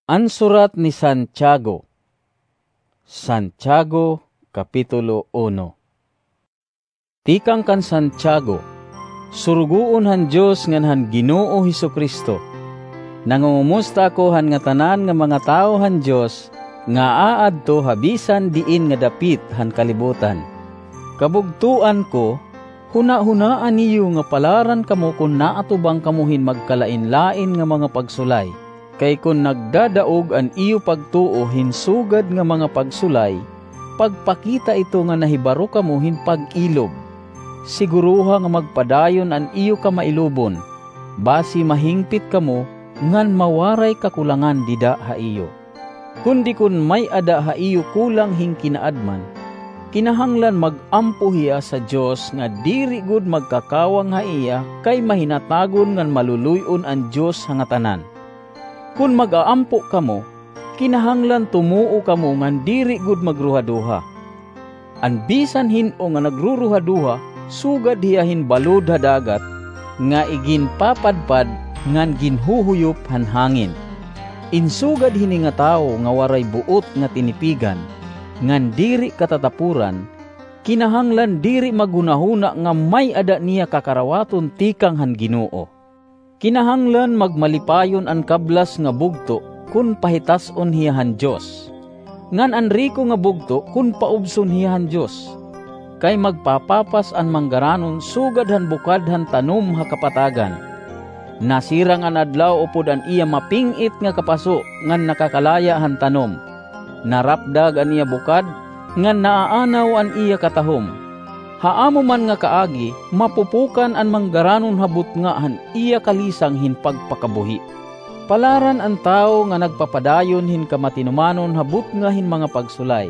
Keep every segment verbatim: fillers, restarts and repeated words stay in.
An surat ni Santiago. Santiago, Kapitulo uno. Tikang kan Santiago, surugoon han Dios ngan han Ginoo Jesu-Cristo. Nangungumusta ako han ngatanan nga mga tawo han Dios nga aadto ha bisan diin nga dapit han kalibutan. Kabugtoan ko, hunahunaa niyo nga palaran kamo kon naatubang kamo hin magkalainlain nga mga pagsulay. Kay kon nagdadaog an iyo pagtuo hin sugad nga mga pagsulay, pagpakita ito nga nahibaro kamo hin pag-ilob. Siguroha nga magpadayon an iyo kamailobon, basi mahingpit kamo ngan mawaray kakulangan dida ha iyo. Kundi kon may-ada ha iyo kulang hin kinaadman, kinahanglan mag-ampo hiya sa Dios nga diri gud magkakawang ha iya, kay mahinatagon ngan maluluy-on an Dios ha ngatanan. Kon mag-aampo kamo, kinahanglan tumuo kamo ngan diri gud magruhaduha. An bisan hin-o nga nagruruhaduha, sugad hiya hin balod ha dagat, nga iginpapadpad ngan ginhuhuyop han hangin. In sugad hini nga tawo nga waray buot nga tinipigan, ngan diri katatapuran, kinahanglan diri maghunahuna nga may-ada niya kakarawaton tikang han Ginoo. Kinahanglan magmalipayon an kablas nga bugto kon pahitas-on hiya han Dios, ngan an riko nga bugto kon paubson hiya han Dios. Kay magpapapas an manggaranon sugad han bukad han tanom ha kapatagan. Nasirang an adlaw upod an iya maping-it nga kapaso ngan nakakalaya han tanom. Narapdag an iya bukad, ngan naaanaw an iya katahom. Ha amo man nga kaagi, mapupukan an manggaranon ha butnga han iya kalisang hin pagpakabuhi. Palaran an tawo nga nagpapadayon hin kamatinumanon ha butnga hin mga pagsulay.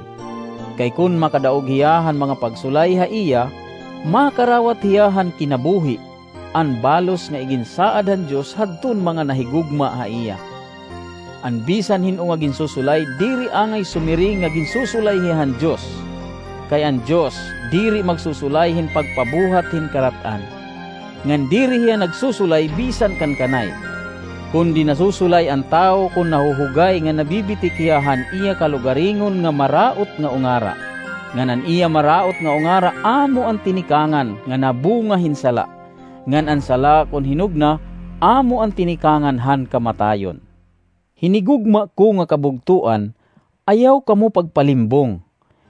Kay kon makadaog hiya han mga pagsulay ha iya, makarawat hiya han kinabuhi, an balos nga iginsaad han Dios hadton mga nahigugma ha iya. An bisan hin-o nga ginsusulay diri angay sumiring nga ginsusulay hiya han Dios, kay an Dios diri magsusulay hin pagpabuhat hin karat-an, ngan diri hiya nagsusulay bisan kan kanay, kundi nasusulay an tawo kon nahuhugay nga nabibitik hiya han iya kalugaringon nga maraot nga ungara. Ngan an iya maraot nga ungara amo an tinikangan nga nabunga hin sala, ngan an sala kon hinugna amo an tinikangan han kamatayon. Hinigugma ko nga kabugtoan, ayaw kamo pagpalimbong.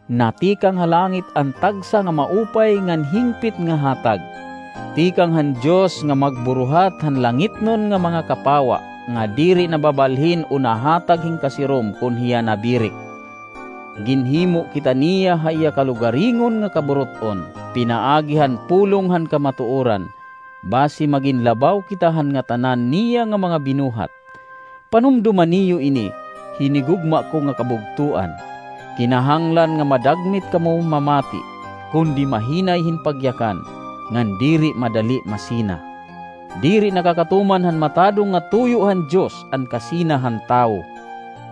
Natikang ha langit an tagsa nga maupay ngan hingpit nga hatag. Tikang han Dios nga magburuhat han langitnon nga mga kapawa, nga diri nababalhin o nahatag hin kasirom kon hiya nabirik. Ginhimo kita niya ha iya kalugaringon nga kaburut-on, pinaagi han pulong han kamatuoran, basi magin labaw kita han ngatanan niya nga mga binuhat. Panumdoma niyo ini, hinigugma ko nga kabugtoan. Kinahanglan nga madagmit kamo mamati, kundi mahinay hin pagyakan, ngan diri madali masina. Diri nakakatuman han matadong nga tuyo han Dios an kasina han tawo.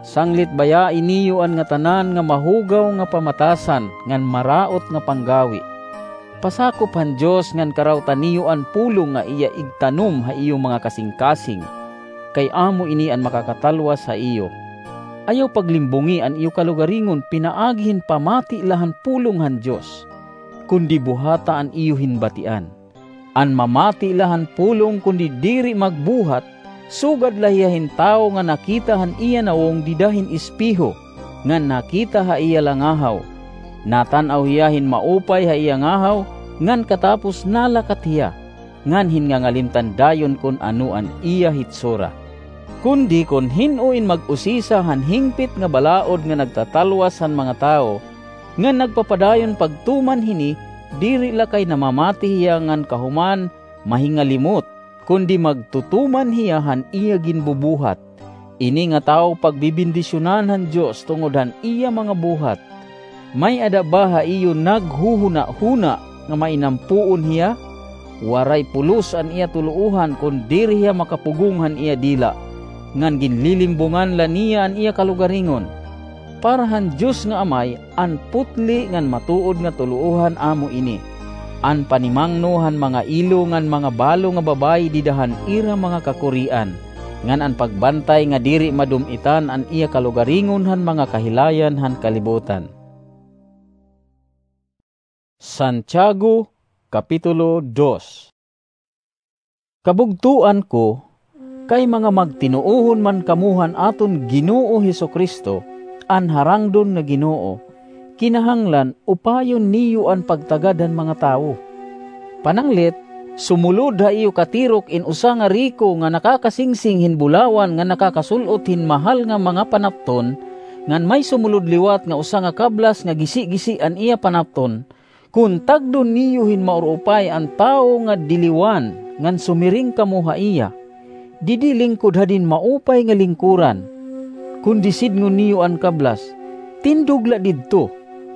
Sanglit bayahi niyo an ngatanan nga mahugaw nga pamatasan ngan maraot nga panggawi. Pasakop han Dios ngan karawta niyo an pulong nga iya igtanom ha iyo mga kasingkasing, kay amo ini an makakatalwas ha iyo. Ayaw paglimbongi an iyo kalugaringon pinaagi hin pamati la han pulong han Dios, kundi buhata an iyo hin batian. An mamati la han pulong kundi diri magbuhat, sugad la hiya hin tawo nga nakita han iya nawong dida hin espeho, ngan nakita ha iya langahaw. Natan-aw hiya hin maupay ha iya ngahaw, ngan katapos nalakat hiya, ngan hin ngangalimtan dayon kon ano an iya hitsura. Kundi kon hin-o in mag-usisa han hingpit nga balaod nga nagtatalwas han mga tawo, ngan nagpapadayon pagtuman hini, diri la kay namamati hiya ngan kahuman mahingalimot, kundi magtutuman hiya han iya ginbubuhat. Ini nga tawo pagbibendisyonan han Dios tungod han iya mga buhat. May-ada ba ha iyo naghuhunahuna nga mainampoon hiya? Waray pulos an iya tuloohan kon diri hiya makapugong han iya dila, ngan ginlilimbongan la niya an iya kalugaringon. Para han Dios nga Amay, an putli ngan matuod nga tuloohan amo ini. An panimangno han mga ilo ngan mga balo nga babayi dida han ira mga kakurian, ngan an pagbantay nga diri madum-itan an iya kalugaringon han mga kahilayan han kalibutan. Santiago, Kapitulo dos. Kabugtoan ko, kay mga magtinuohon man kamo han aton Ginoo Jesu-Cristo, an harangdon nga Ginoo, kinahanglan upayon niyo an pagtagad han mga tawo. Pananglit, sumulod ha iyo katirok in usa nga riko nga nakakasingsing hin bulawan nga nakakasul-ot hin mahal nga mga panapton, ngan may sumulod liwat nga usa nga kablas nga gisi-gisi an iya panapton, kon tagdon niyo hin maurupay an tawo nga diliwan ngan sumiring kamo ha iya, "Didi lingkod hadin maupay nga lingkuran," kundi sidngon niyo an kablas, "Tindog la didto,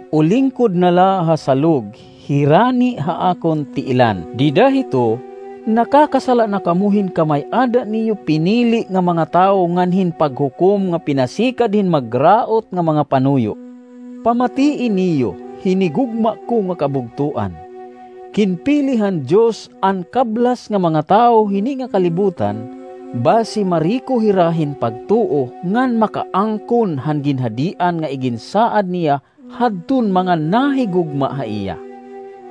o lingkod na la ha salog, hirani ha akon tiilan." Dida hito, nakakasala na kamo hin kamay-ada niyo pinili nga mga tawo ngan hin paghukom nga pinasikad hin magraot nga mga panuyo. Pamatii niyo, hinigugma ko nga kabugtoan. Ginpili han Dios an kablas nga mga tawo hini nga kalibutan, basi mariko hira hin pagtuo ngan makaangkon han ginhadian nga iginsaad niya hadton mga nahigugma ha iya.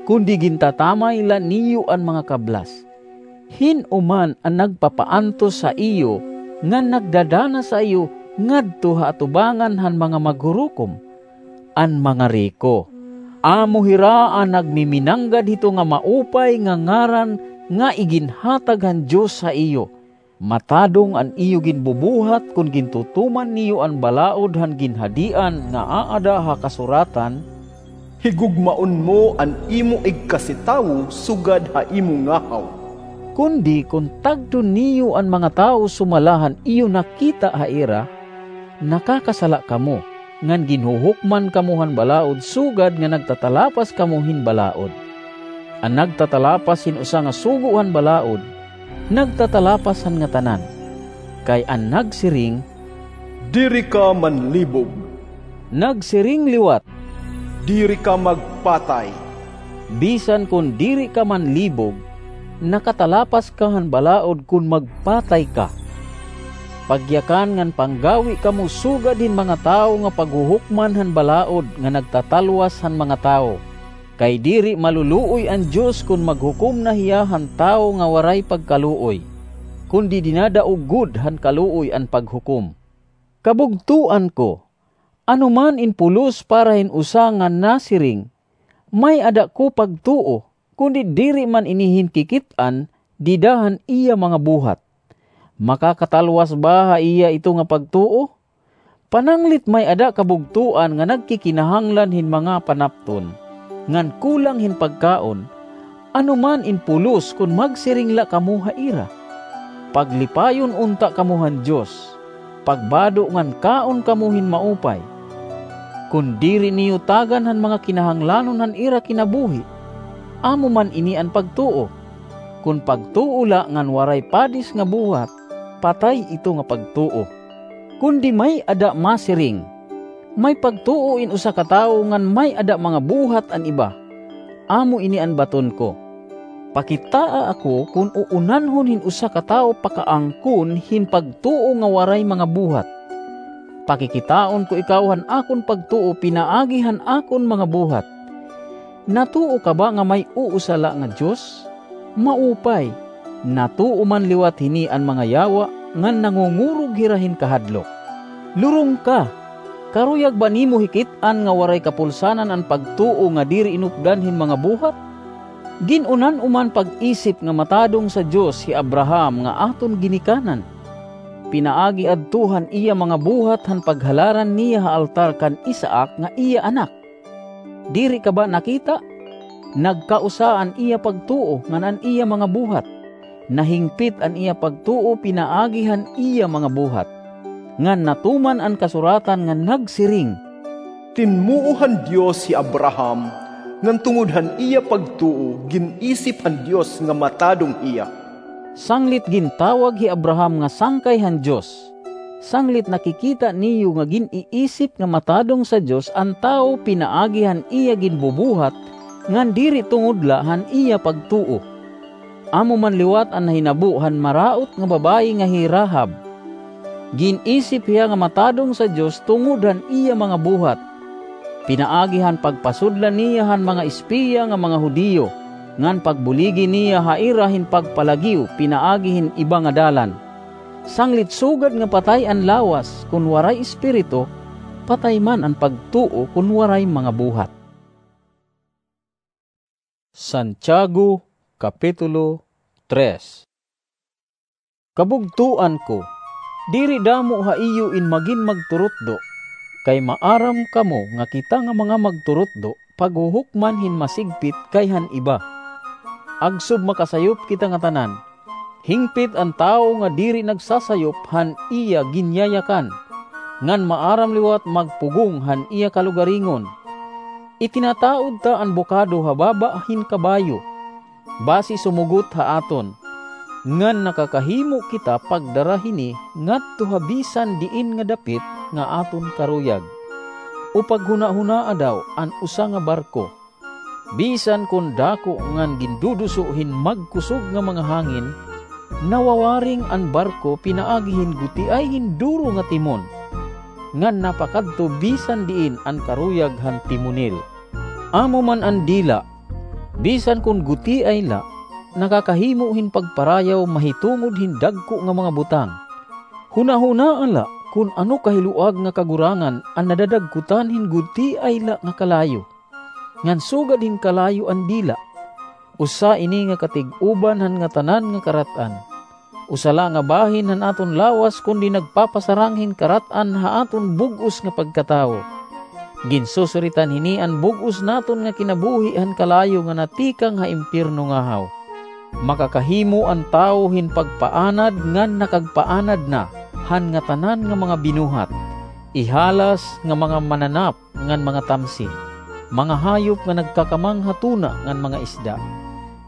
Kundi gintatamay la niyo an mga kablas. Hin-o man an nagpapaantos ha iyo ngan nagdadanas ha iyo ngadto ha atubangan han mga maghurukom? An mga riko. Amo hira an nagmiminanggad hito nga maupay nga ngaran nga iginhatag han Dios ha iyo. Matadong an iyo ginbubuhat kon gintutuman niyo an balaod han ginhadian nga aada ha kasuratan, "Higugmaon mo an imo igkasitawo sugad ha imo ngahaw." Kundi kon tagdon niyo an mga tawo sumala han iyo nakita ha ira, nakakasala kamo, ngan ginhuhukman kamo han balaod sugad nga nagtatalapas kamo hin balaod. An nagtatalapas hin usa nga sugo han balaod, nagtatalapas han ngatanan. Kay an nagsiring, "Diri ka manlibog," nagsiring liwat, "Diri ka magpatay." Bisan kon diri ka manlibog, nakatalapas ka han balaod kon magpatay ka. Pagyakan ngan panggawi kamo sugad hin mga tawo nga paghuhukman han balaod nga nagtatalwas han mga tawo. Kay diri maluluoy an Dios kon maghukom na hiya han tawo nga waray pagkaluoy, kundi dinadaog gud han kaluoy an paghukom. Kabugtoan ko, ano man in pulos para hin usa nga nasiring, "May-ada ko pagtuo," kundi diri man ini hinkikit-an dida han iya mga buhat? Makakatalwas ba ha iya ito nga pagtuo? Pananglit may-ada kabugtoan nga nagkikinahanglan hin mga panapton, ngan kulang hin pagkaon, ano man in pulos kon magsiring la kamo ha ira, "Paglipayon unta kamo han Dios, pagbado ngan kaon kamo hin maupay." Kon diri niyo tagan han mga kinahanglanon han ira kinabuhi, amo man ini an pagtuo. Kon pagtuo la ngan waray padis nga buhat, patay ito nga pagtuo. Kundi may-ada masiring, "May pagtuo in usa ka tawo ngan may-ada mga buhat an iba." Amo ini an baton ko. Pakitaa ako kon uunanhon hin usa ka tawo pakaangkon hin pagtuo nga waray mga buhat. Pakikitaon ko ikaw han akon pagtuo pinaagi han akon mga buhat. Natuo ka ba nga may usa la nga Dios? Maupay, natuo man liwat hini an mga yawa ngan nangungurog hira hin kahadlok. Lurong ka! Karuyag ba nimo hikit-an nga waray kapulsanan an pagtuo nga diri inupdan hin mga buhat? Gin-unan-o man pag-isip nga matadong sa Dios hi Abraham nga aton ginikanan, pinaagi adto han iya mga buhat han paghalaran niya ha altar kan Isaac nga iya anak. Diri ka ba nakita? Nagkausa an iya pagtuo ngan an iya mga buhat. Nahingpit an iya pagtuo pinaagi han iya mga buhat. Ngan natuman an kasuratan nga nagsiring, "Tinmuo han Dios hi Abraham, ngan tungod han iya pagtuo gin-isip han Dios nga matadong hiya." Sanglit gintawag hi Abraham nga sangkay han Dios. Sanglit nakikita niyo nga gin-iisip nga matadong sa Dios an tawo pinaagi han iya ginbubuhat, ngan diri tungod la han iya pagtuo. Amo man liwat an nahinabo han maraot nga babayi nga hi Rahab. Gin-isip hiya nga matadong sa Dios tungod han iya mga buhat. Pinaagi han pagpasudlan niya han mga espiya nga mga Judio, ngan pagbuligi niya ha ira hin pagpalagiw pinaagi hin iba nga dalan. Sanglit sugad nga patay an lawas kon waray espiritu, patay man an pagtuo kon waray mga buhat. Santiago, Kapitulo tres. Kabugtoan ko, diri damo ha iyo in magin magturutdo, kay maaram kamo nga kita nga mga magturutdo paghuhukman hin masigpit kay han iba. Agsub makasayop kita ngatanan, hingpit an tawo nga diri nagsasayop han iya ginyayakan, ngan maaram liwat magpugong han iya kalugaringon. Itinataod ta an bukado ha baba hin kabayo, basi sumugot ha aton, ngan nakakahimo kita pagdara hini ngadto ha bisan diin nga dapit nga aton karuyag. O paghunahunaa daw an usa nga barko. Bisan kon dako ngan ginduduso hin magkusog nga mga hangin, nawawaring an barko pinaagi hin gutiay hin duro nga timon, ngan napakadto bisan diin an karuyag han timonel. Amo man an dila, bisan kon gutiay la, nakakahimo hin pagparayaw mahitungod hin dagko nga mga butang. Hunahunaa la kon ano kahiluag nga kagurangan an nadadagkotan hin gutiay la nga kalayo. Ngan sugad hin kalayo an dila. Usa ini nga katig-uban han ngatanan nga karat-an. Usa la nga bahin han aton lawas, kundi nagpapasarang hin karat-an ha aton bug-os nga pagkatawo. Ginsusuritan hini an bug-os naton nga kinabuhi han kalayo nga natikang ha impyerno ngahaw. Makakahimo an tawo hin pagpaanad ngan nakagpaanad na han ngatanan nga mga binuhat, ihalas nga mga mananap ngan mga tamsi, mga hayop nga nagkakamang ha tuna ngan mga isda.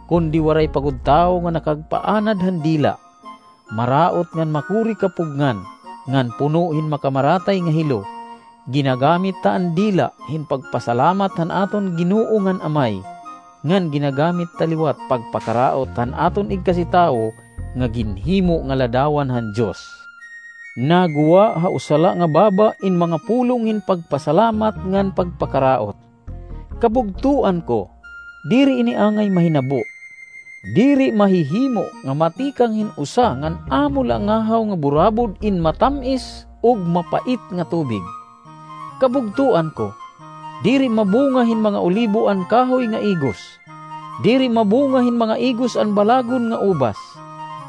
Kundi waray pa gud tawo nga nakagpaanad han dila, maraot ngan makuri kapugngan, ngan puno hin makamaratay nga hilo. Ginagamit ta an dila hin pagpasalamat han aton Ginoo ngan Amay, ngan ginagamit ta liwat pagpakaraot han aton igkasitawo nga ginhimo nga ladawan han Dios. Naguwa ha usa la nga baba in mga pulong hin pagpasalamat ngan pagpakaraot. Kabugtoan ko, diri ini angay mahinabo. Diri mahihimo nga matikang hin usa ngan amo la ngahaw nga burabod in matam-is ug mapait nga tubig. Kabugtoan ko, diri mabunga hin mga olibo an kahoy nga igos. Diri mabunga hin mga igos an balagon nga ubas.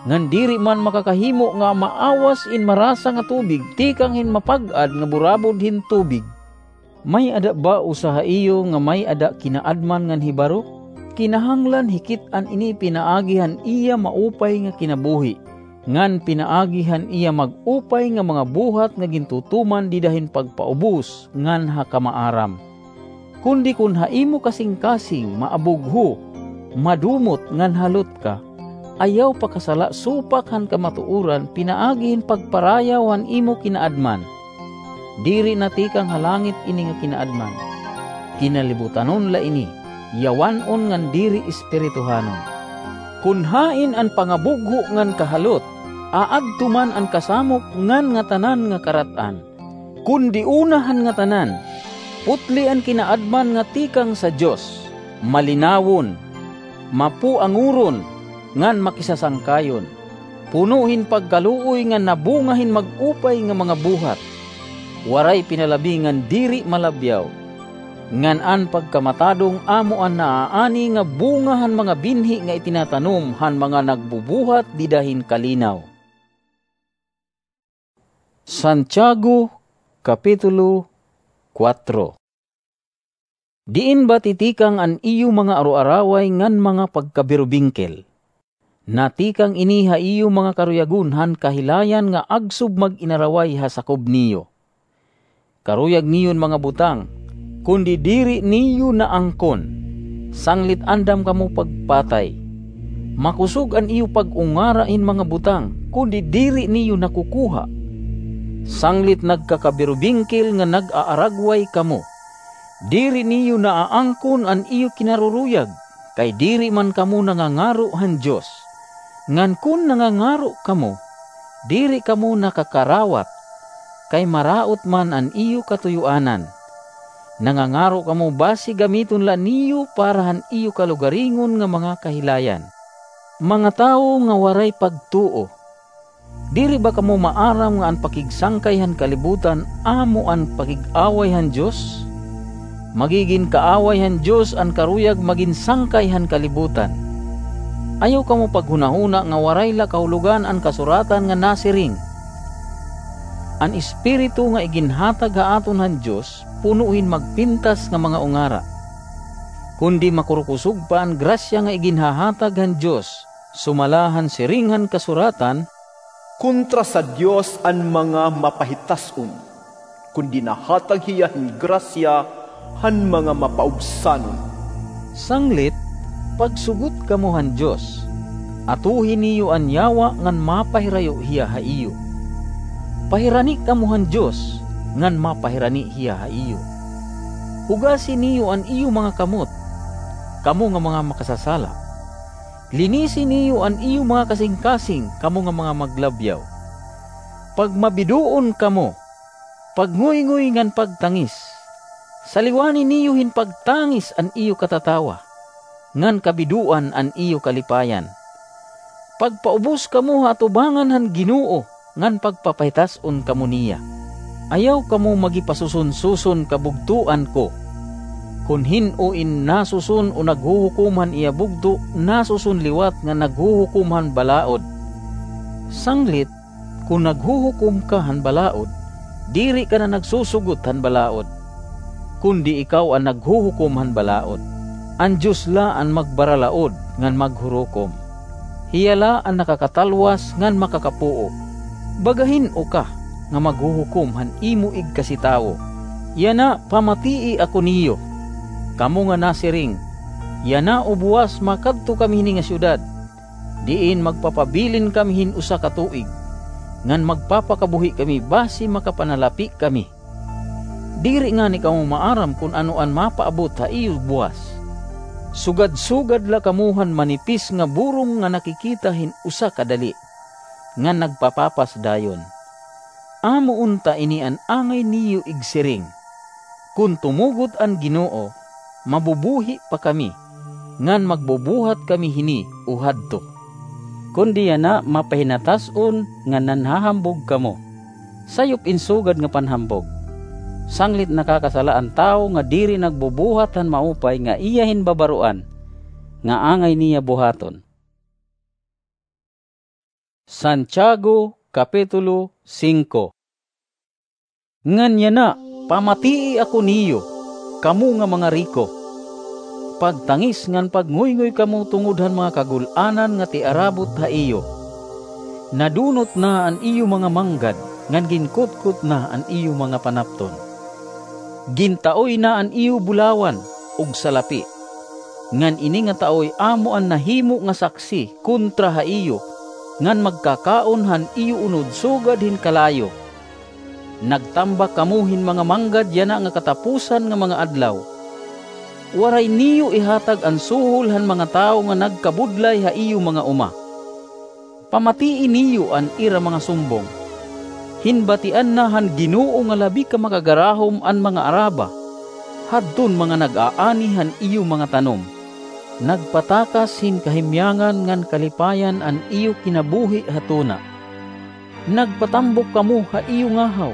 Ngan diri man makakahimo nga maawas in marasa nga tubig tikang hin mapag-ad nga burabod hin tubig. May-ada ba usa ha iyo nga may-ada kinaadman ngan hibaro? Kinahanglan hikit-an ini pinaagi han iya maupay nga kinabuhi, ngan pinaagi han iya mag-upay nga mga buhat nga gintutuman dida hin pagpaubos ngan ha kamaaram. Kundi kon ha imo kasingkasing maabugho, madumot ngan halot ka, ayaw pakasala supak han kamatuoran pinaagi hin pagparayaw han imo kinaadman. Diri natikang ha langit ini nga kinaadman. Kinalibutanon la ini, yawan-on ngan diri espirituhanon. Kon hain an pangabugho ngan kahalot, aadto man an kasamok ngan ngatanan nga karat-an. Kundi una han ngatanan, putli an kinaadman nga tikang sa Dios, malinawon, mapuangoron, ngan makisasangkayon, puno hin pagkaluoy ngan nabunga hin mag-upay nga mga buhat. Waray pinalabi ngan diri malabyaw. Ngan an pagkamatadong amo an naaani nga bunga han mga binhi nga itinatanom han mga nagbubuhat dida hin kalinaw. Santiago, Kapitulo kuwatro. Diin ba titikang an iyo mga aroaraway ngan mga pagkabirubingkil? Natikang ini ha iyo mga karuyagon han kahilayan nga agsub mag-inaraway ha sakob niyo. Karuyag niyon mga butang, kundi diri niyo naangkon, sanglit andam kamo pagpatay. Makusog an iyo pag-ungara hin mga butang, kundi diri niyo nakukuha, sanglit nagkakabirubingkil nga nag-aaragway kamo. Diri niyo naaangkon an iyo kinaruruyag, kay diri man kamo nangangaro han Dios. Ngan kon nangangaro kamo, diri kamo nakakarawat, kay maraot man an iyo katuyoanan. Nangangaro kamo basi gamiton la niyo para han iyo kalugaringon nga mga kahilayan. Mga tawo nga waray pagtuo, diri ba kamo maaram nga an pakigsangkay han kalibutan amo an pakig-away han Dios? Magigin kaaway han Dios an karuyag magin sangkay han kalibutan. Ayaw kamo paghunahuna nga waray la kahulogan an kasuratan nga nasiring, "An Espiritu nga iginhatag ha aton han Dios puno hin magpintas nga mga ungara." Kundi makurukusog pa an grasya nga iginhahatag han Dios, sumala han siring han kasuratan, "Kontra sa Dios an mga mapahitas-on, kundi nahatag hiya hin grasya han mga mapaubsanon." Sanglit, pagsugot kamo han Dios. Atuhi niyo an yawa ngan mapahirayo hiya ha iyo. Pahirani kamo han Dios, ngan mapahirani hiya ha iyo. Hugasi niyo an iyo mga kamot, kamo nga mga makasasala. Linisi niyo an iyo mga kasingkasing, kamo nga mga maglabyaw. Pagmabidoon kamo, pagngoyngoy ngan pagtangis. Saliwani niyo hin pagtangis an iyo katatawa, ngan kabidoan an iyo kalipayan. Pagpaubos kamo ha atubangan han Ginoo, ngan pagpapahitas-on kamo niya. Ayaw kamo magipasuson-suson, kabugtoan ko. Kon hin-o in nasuson o naghuhukom han iya bugto, nasuson liwat nga naghuhukom han balaod. Sanglit, kon naghuhukom ka han balaod, diri ka na nagsusugot han balaod, kundi ikaw an naghuhukom han balaod. An Dios la an magbaralaod ngan maghurukom. Hiya la an nakakatalwas ngan makakapuo. Baga hin-o ka nga maghuhukom han imo igkasitawo? Yana, pamatii ako niyo, kamo nga nasiring, "Yana o buwas makadto kami hini nga syudad, diin magpapabilin kami hin usa ka tuig, ngan magpapakabuhi kami basi makapanalapi kami." Diri ngani kamo maaram kon ano an mapaabot ha iyo buwas. Sugad-sugad la kamo han manipis nga burong nga nakikita hin usa kadali, ngan nagpapapas dayon. Amo unta ini an angay niyo igsiring, "Kon tumugot an Ginoo, mabubuhi pa kami, ngan magbubuhat kami hini o hadto." Kundi yana, mapahinatas-on nga nanhahambog kamo, sayop in sugad nga panhambog. Sanglit nakakasala an tawo nga diri nagbubuhat han maupay nga iya hin babaroan nga angay niya buhaton. Santiago, Kapitulo singko. Ngan yana, pamatii ako niyo, kamo nga mga riko. Pagtangis ngan pagngoyngoy kamo tungod han mga kagul-anan nga tiarabot ha iyo. Nadunot na an iyo mga manggad, ngan ginkutkot na an iyo mga panapton. Gintaoy na an iyo bulawan ug salapi. Ngan ini nga taoy amo an nahimo nga saksi kontra ha iyo, ngan magkakaon han iyo unod sugad hin kalayo. Nagtambak kamo hin mga manggad yana nga katapusan nga mga adlaw. Waray niyo ihatag an suhol han mga tawo nga nagkabudlay ha iyo mga uma. Pamatii niyo an ira mga sumbong. Hinbatian na han Ginoo nga labi ka makagarahom an mga araba, hadton mga nag-aani han iyo mga tanom. Nagpatakas hin kahimyangan ngan kalipayan an iyo kinabuhi ha tuna. Nagpatambok kamo ha iyo ngahaw,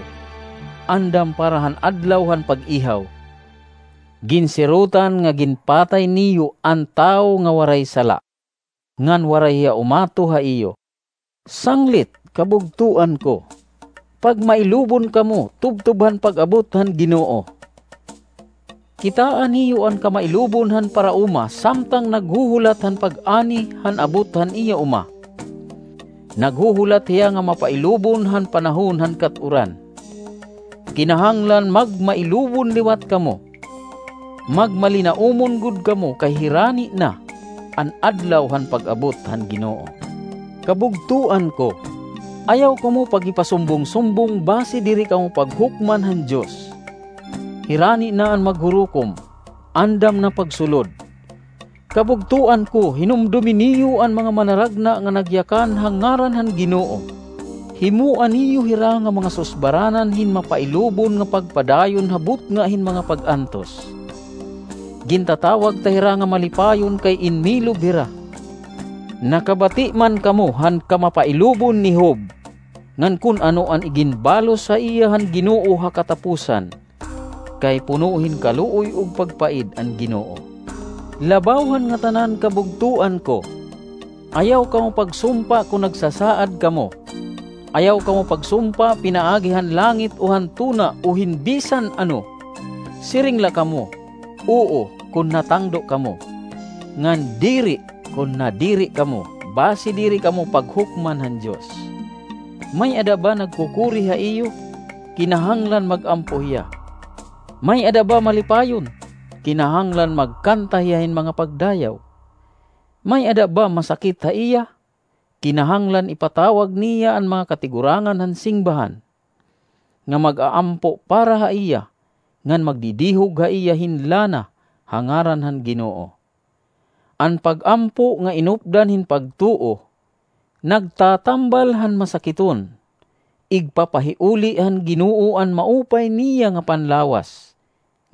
andam para han adlaw han pag-ihaw. Ginsirotan nga ginpatay niyo an tawo nga waray sala, ngan waray hiya umato ha iyo. Sanglit, kabugtoan ko, pagmailubon kamo tubtob han pag-abot han Ginoo. Kitaa niyo an kamailubon han parauma samtang naghuhulat han pag-ani han abot han iya uma. Naghuhulat hiya nga mapailubon han panahon han kat-uran. Kinahanglan magmailubon liwat kamo. Magmalinaumon gud kamo, kay hirani na an adlaw han pag-abot han Ginoo. Kabugtoan ko, ayaw kamo pagipasumbong-sumbong basi diri kamo paghukman han Dios. Hirani na an maghurukom, andam na pagsulod. Kabugtoan ko, hinumdomi niyo an mga manaragna nga nagyakan ha ngaran han Ginoo. Himoa niyo hira nga mga susbaranan hin mapailubon nga pagpadayon ha butnga hin mga pag-antos. Gintatawag ta hira nga malipayon kay inmilob hira. Nakabati man kamo han kamapailubon ni Job, ngan kon ano an iginbalos ha iya han Ginoo ha katapusan, kay puno hin kaluoy ug pagpaid an Ginoo. Labaw han ngatanan, kabugtoan ko, ayaw kamo pagsumpa kon nagsasaad kamo. Ayaw kamo pagsumpa pinaagi han langit o han tuna o hin bisan ano. Siring la kamo, "Oo," kon natangdo kamo, ngan "Diri," kon nadiri kamo, basi diri kamo paghukman han Dios. May-ada ba nagkukuri ha iyo? Kinahanglan mag-ampo hiya. May-ada ba malipayon? Kinahanglan magkanta hiya hin mga pagdayaw. May-ada ba masakit ha iya? Kinahanglan ipatawag niya an mga katigurangan han singbahan, nga mag-aampo para ha iya, ngan magdidihog ha iya hin lana ha ngaran han Ginoo. An pag-ampo nga inupdan hin pagtuo, nagtatambal han masakiton, igpapahiuli han Ginoo an maupay niya nga panlawas,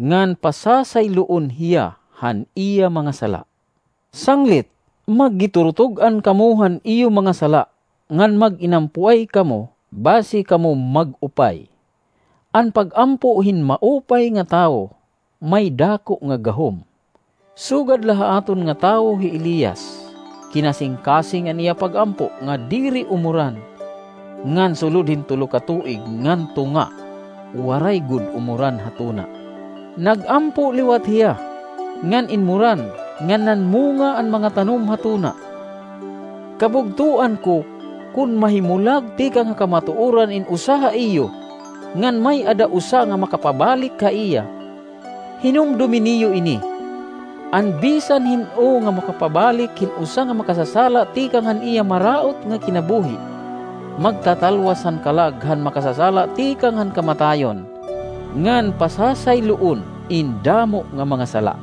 ngan pasasayloon hiya han iya mga sala. Sanglit, maggiturutog-an kamo han iyo mga sala, ngan mag-inampuay kamo, basi kamo mag-upay. An pag-ampo hin maupay nga tawo may dako nga gahom. Sugad la ha aton nga tawo hi Elias, kinasingkasing an iya pag-ampo nga diri umuran, ngan sulod hin tulo ka tuig ngan tunga, waray gud umuran ha tuna. Nag-ampo liwat hiya, ngan inmuran, ngan nanmunga an mga tanom ha tuna. Kabugtoan ko, kon mahimulag tikang ha kamatuoran in usa ha iyo, ngan may-ada usa nga makapabalik ha iya, hinumdomi niyo ini: an bisan hin-o nga makapabalik hin usa nga makasasala tikang han iya maraot nga kinabuhi, magtatalwas han kalag han makasasala tikang han kamatayon, ngan pasasayloon in damo nga mga sala.